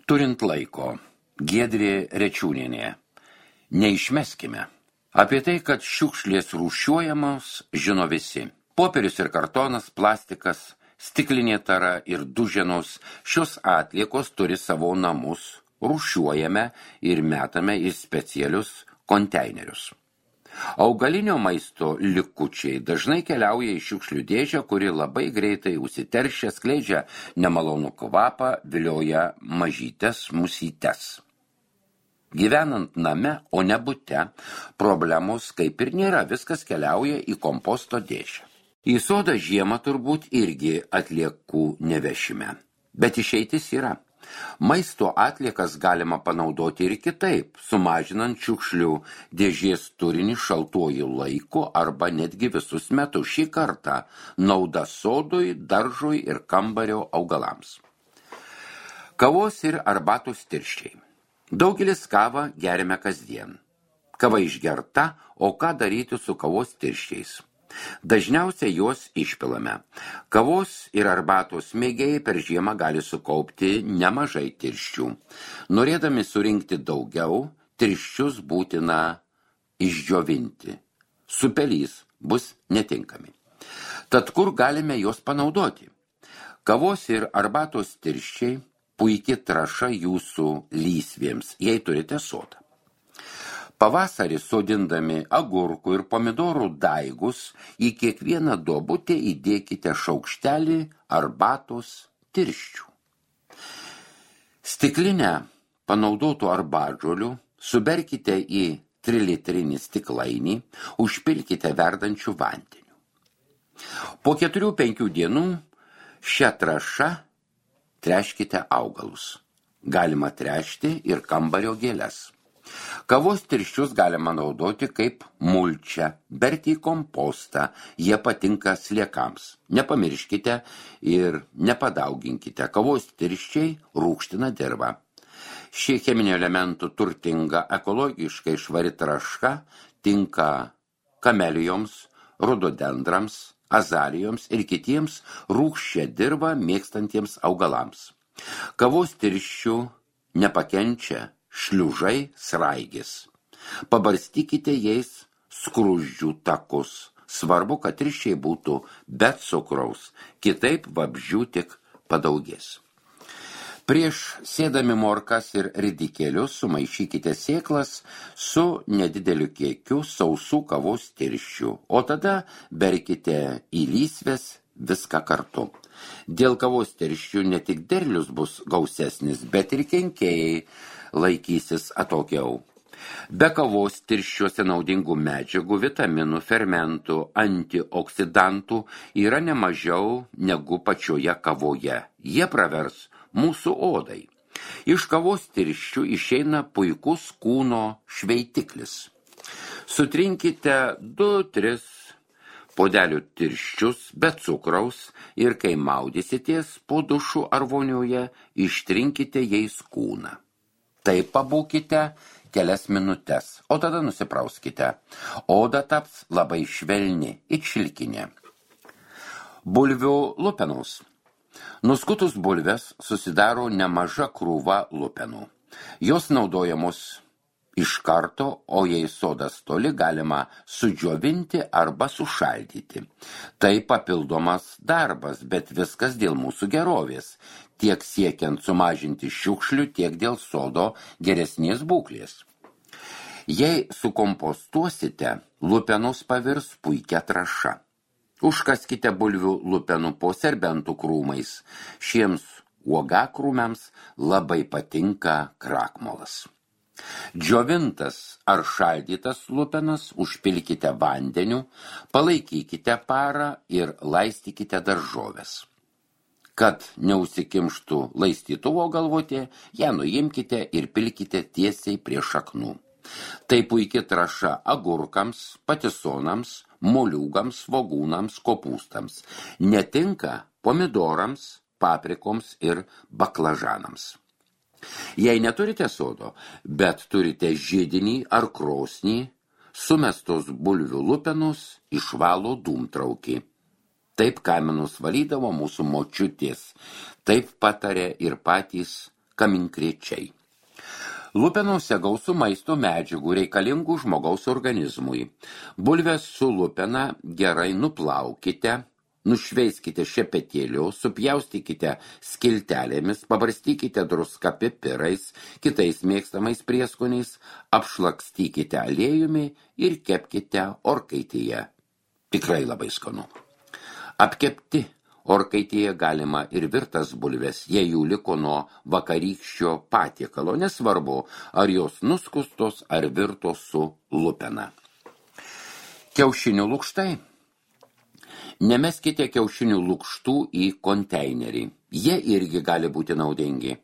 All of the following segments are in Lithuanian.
Turint laiko, Giedrė Rečiūnienė. Neišmeskime. Apie tai, kad šiukšlės rūšiuojamos, žino visi. Popierius ir kartonas, plastikas, stiklinė tara ir duženos, šios atliekos turi savo namus, rūšiuojame ir metame į specialius konteinerius. Augalinio maisto likučiai dažnai keliauja į šiukšlių dėžę, kuri labai greitai užsiteršia, skleidžia nemalonų kvapą, vilioja mažytes musytes. Gyvenant name, o ne bute, problemos kaip ir nėra, viskas keliauja į komposto dėžę. Į sodą žiemą turbūt irgi atliekų nevešime, bet išeitis yra. Maisto atliekas galima panaudoti ir kitaip, sumažinant šiukšlių dėžės turinį šaltuoju laiku arba netgi visus metus. Šį kartą nauda sodui, daržui ir kambario augalams. Kavos ir arbatos tirščiai. Daugelis kavą geriame kasdien. Kava išgerta, o ką daryti su kavos tirščiais? Dažniausiai juos išpilame. Kavos ir arbatos mėgėjai per žiemą gali sukaupti nemažai tirščių. Norėdami surinkti daugiau, tirščius būtina išdžiovinti. Supelys bus netinkami. Tad kur galime juos panaudoti? Kavos ir arbatos tirščiai puikiai trąša jūsų lysvėms, jei turite sodą. Pavasarį sodindami agurkų ir pomidorų daigus į kiekvieną duobutę įdėkite šaukštelį arbatos tirščių. Stiklinę panaudotų arbatžolių suberkite į 3-litrinį stiklainį, užpilkite verdančių vandeniu. Po 4-5 dienų šią trąšą treškite augalus. Galima trešti ir kambario gėles. Kavos tirščius galima naudoti kaip mulčią, berti į kompostą, jie patinka sliekams. Nepamirškite ir nepadauginkite, kavos tirščiai rūgština dirvą. Ši cheminių elementų turtinga, ekologiškai švari trąša tinka kamelijoms, rododendrams, azalijoms ir kitiems rūgščią dirvą mėgstantiems augalams. Kavos tirščių nepakenčia šliužai, sraigės. Pabarstykite jais skruzdžių takus. Svarbu, kad tirščiai būtų be cukraus, kitaip vabzdžių tik padaugės. Prieš sėdami morkas ir ridikėlius sumaišykite sėklas su nedideliu kiekiu sausų kavos tirščių, o tada berkite į lysves viską kartu. Dėl kavos tirščių ne tik derlius bus gausesnis, bet ir kenkėjai laikysis atokiau. Be kavos tirščiuose naudingų medžiagų, vitaminų, fermentų, antioksidantų yra nemažiau negu pačioje kavoje. Jie pravers mūsų odai. Iš kavos tirščių išeina puikus kūno šveitiklis. Sutrinkite 2-3 podelių tirščius be cukraus ir kai maudysitės po dušu ar vonioje, ištrinkite jais kūną. Taip pabūkite kelias minutes, o tada nusiprauskite. Oda taps labai švelni, it šilkinė. Bulvių lupenos. Nuskutus bulves susidaro nemaža krūva lupenų. Jos naudojamos iš karto, o jei sodas toli, galima sudžiovinti arba sušaldyti. Tai papildomas darbas, bet viskas dėl mūsų gerovės, tiek siekiant sumažinti šiukšlių, tiek dėl sodo geresnės būklės. Jei sukompostuosite, lupenos pavirs puikia trąša. Užkaskite bulvių lupenų po serbentų krūmais. Šiems uogakrūmiams labai patinka krakmolas. Džiovintas ar šaldytas lupenas užpilkite vandeniu, palaikykite parą ir laistykite daržoves. Kad neužsikimštų laistytuvo galvotė, ją nuimkite ir pilkite tiesiai prie šaknų. Tai puikia trąša agurkams, patisonams, moliūgams, svogūnams, kopūstams. Netinka pomidorams, paprikoms ir baklažanams. Jei neturite sodo, bet turite židinį ar krosnį, sumestos bulvių lupenus išvalo dūmtraukį. Taip kaminus valydavo mūsų močiutės, taip patarė ir patys kaminkrėčiai. Lupenose gausu maisto medžiagų reikalingų žmogaus organizmui. Bulves su lupena gerai nuplaukite, nušveiskite šepetėliu, supjaustykite skiltelėmis, pabarstykite druską pipirais, kitais mėgstamais prieskoniais, apšlakstykite aliejumi ir kepkite orkaitėje. Tikrai labai skanu. Apkepti orkaitėje galima ir virtas bulves, jei jų liko nuo vakarykščio patiekalo, nesvarbu, ar jos nuskustos ar virtos su lupena. Kiaušinių lukštai. Nemeskite kiaušinių lukštų į konteinerį. Jie irgi gali būti naudingi.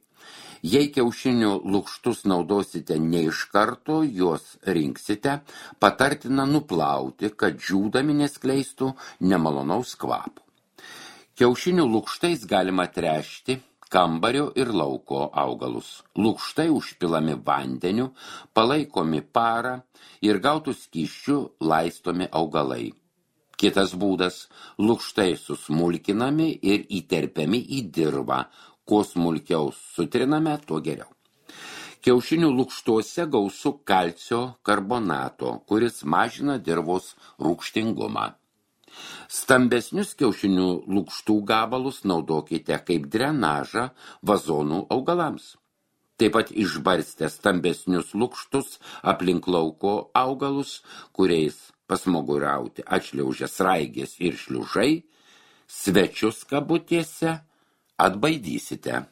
Jei kiaušinių lukštus naudosite ne iš karto, juos rinksite, patartina nuplauti, kad džiūdami neskleistų nemalonaus kvapo. Kiaušinių lukštais galima tręšti kambario ir lauko augalus. Lukštai užpilami vandeniu, palaikomi parą ir gautų skysčių laistomi augalai. Kitas būdas – lukštai susmulkinami ir įterpiami į dirvą. Kuo smulkiau sutriname, tuo geriau. Kiaušinių lukštuose gausu kalcio karbonato, kuris mažina dirvos rūgštingumą. Stambesnius kiaušinių lukštų gabalus naudokite kaip drenažą vazonų augalams. Taip pat išbarstę stambesnius lukštus aplink lauko augalus, kuriais pasmoguriauti atšliaužia sraigės ir šliužai, svečius kabutėse atbaidysite.